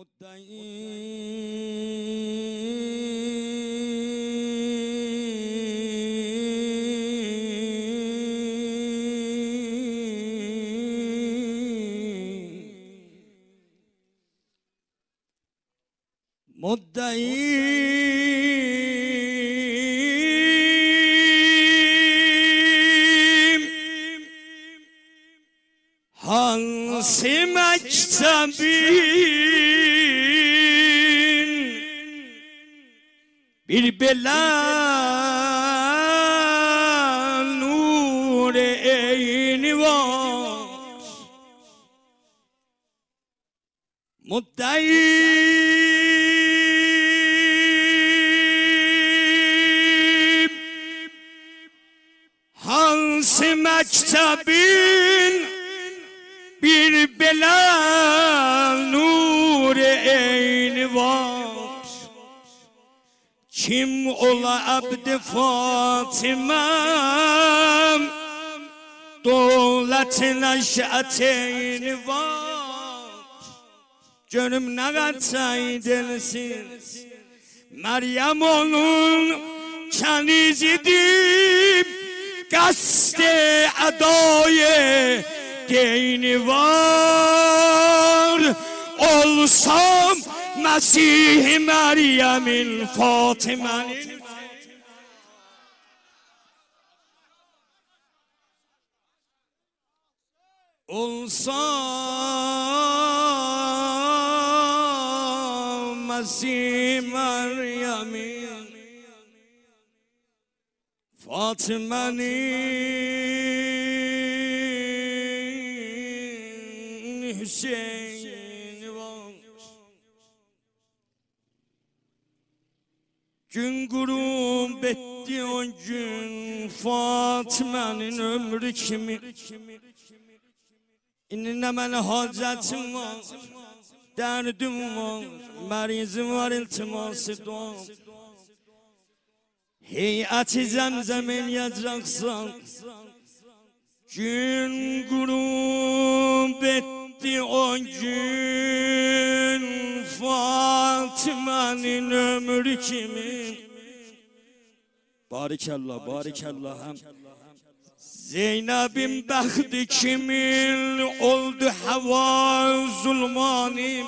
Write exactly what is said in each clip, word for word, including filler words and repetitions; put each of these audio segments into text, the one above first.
مدعی مدعی hansi mektebin bir bela nur eyni var muddai hansi mektebin bir bela nur eyni var kim ola abd-i Fatima'm dövlet neş'eteyni var gönlüm ne kadar delsin Meryem onun kenizidir qasd-i adayı dini var olsam Mesih Meryem'in Fatime'nin olsam Mesih Meryem'in Fatime'nin Hüseyin var gün gurum betti o gün Fatime'nin ömrü kimi İnne bana hacetim var derdim var merizim var iltiması dua Heyeti zemzemin yacaksan gün gurum betti o gün Fatime'nin ömrü kimi Barikallah barikallah hem Zeynep'in bəxti kimin oldu hava zulmanim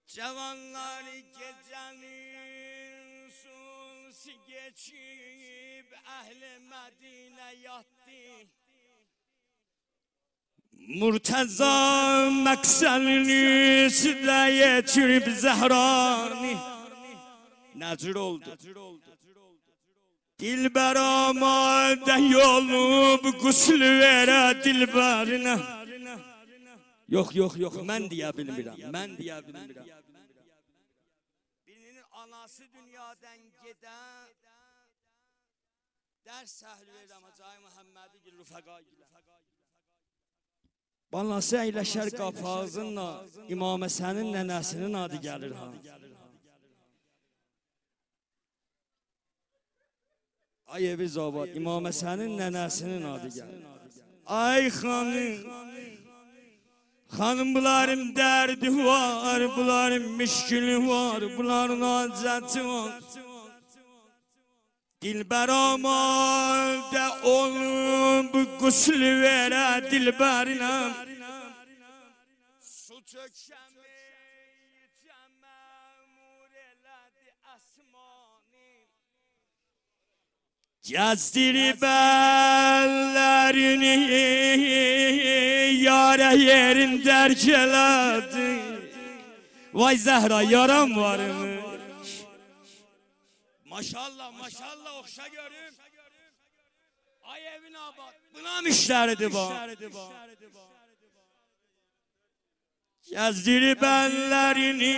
Cavanlar gecenin sulsi geçip Ehl-i Medine yattı Murtaza mekselini sütle geçirip Zehrani Necr oldu Dilber amade yolup gusül vere dilberine Yok yok yok mən deyə bilmirəm mən deyə bilmirəm Birinin anası dünyadan gedən Dərs səhli verirəm Hacı Muhammedi gil rüfəqa gilə Balası əyləşər qapağızınla İmam Həsənin nənəsinin adı gəlir ha Ay evi zabad, İmam Həsənin nənəsinin adı gəlir. Ay xanım, xanım bunların dərdi var, bunların müşkülü var, bunların acəti var. Dilber amalda olub qüslü verə dilbərinə. Su tökəmi məmur elədi əsmani. Gezdirib əllərini yara yerin dərk elədi. Vay Zəhra yaram varmış. Maşallah maşallah oxşa görüm. Ay evin abad buna müştəridir bu. Gezdirib əllərini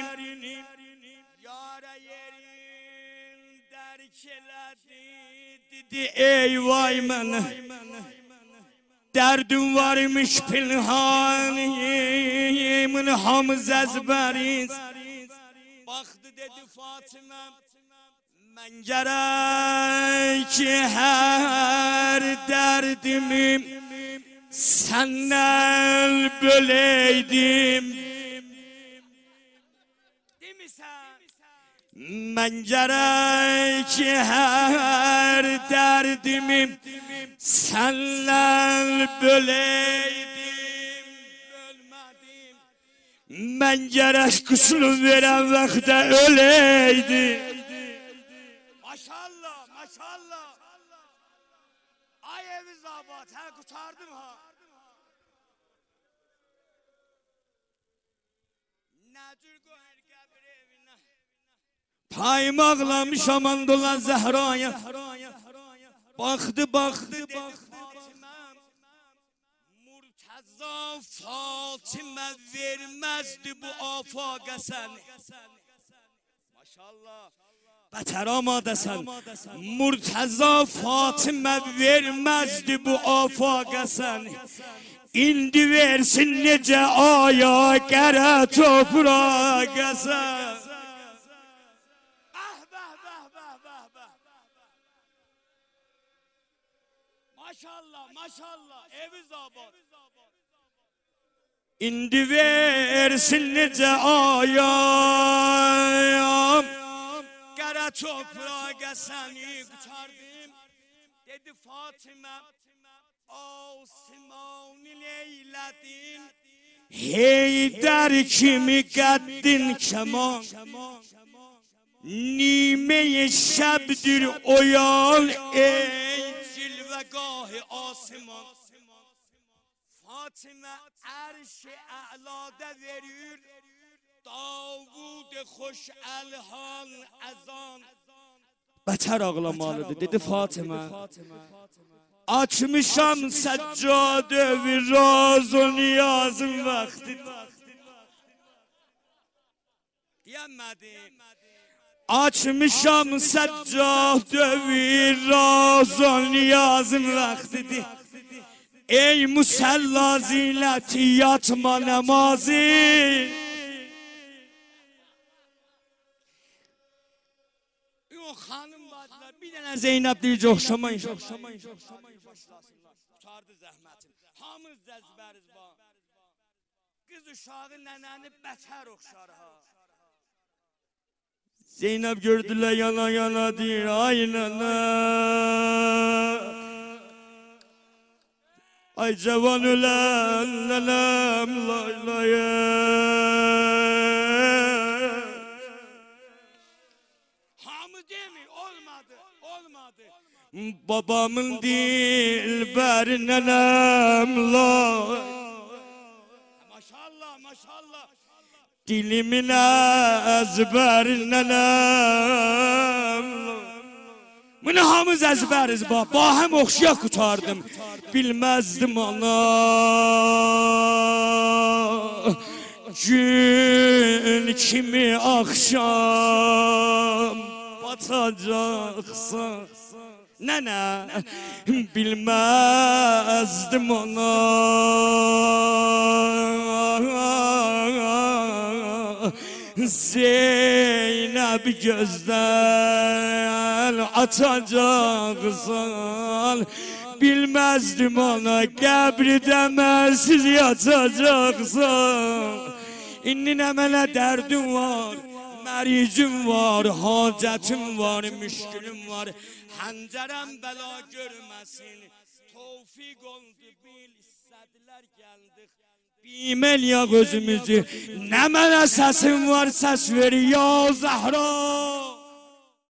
yara yerin dərk elədi. Dedi ey vay mənə derdim varmış pinhan yemin hamız ezberiz. Baktı dedi Fatıma ben gerek her derdimi senden böyleydim. Ben gerek her derdimi senden böyleydim. Ben gerek kusur veren vakte öyleydim. Maşallah, maşallah. Ay evi zabat, ha kurtardım ha. Nedir koyar kabir evine? Payım ağlamış aman dolan Zehra'ya. Baktı, baktı, dedi Fatime. Murtaza Fatime vermezdi bu afaka seni. Maşallah. Beter amadesen. Murtaza Fatime vermezdi bu afaka seni. İndi versin nece aya gere toprağa sen. Maşallah, maşallah, evi zabat. İndi versin nece ayam gere toprağa seni kurtardım. Dedi Fatime, Osman'ı neyledin? Heydar kimi qəddin keman. Nime-i şəbdir oyal ey cilvegah-ı asman. Fatime erş-i a'lada verir, Davud xoş elhan azan. Beter ağlamalıdır, dedi Fatime. Açmışam seccade ve raz o niyazın vaktidir. Diyemedim. Açmışam seccade ve raz o niyazın vaktidir. Ey musalla zileti yatma namazı. Yok hanım vardılar, bir tane Zeynep deyince okşamayın. Tutardı zəhmətim. Hamız cəzbəriz ba. Qız uşağı nənəni bətər oxşar ha. Zeynep gördülər yana yana deyir, ay nənə. Ay cavan ölen nənəm lay lay. Hamı demi olmadı, olmadı. Babamın dilber nenem la. Maşallah, maşallah. Dilimin ezber nenem la. Bunu hamız ezberiz ba. Bahem oxşuya kurtardım. Bilmezdim ana. Gün kimi akşam batacaksa. Nene bilmezdim ona. Zeynep gözden atacaksan, bilmezdim ona kabri demezsiz yatacaksan. İnnin əmələ derdim var, məricim var, hacetim var, müşkülüm var. Həncərəm bəla görməsin, tevfik oldu bil, istədilər gəldik. Bimel ya gözümüzü, nə mənə səsim var, səs ver ya Zəhra.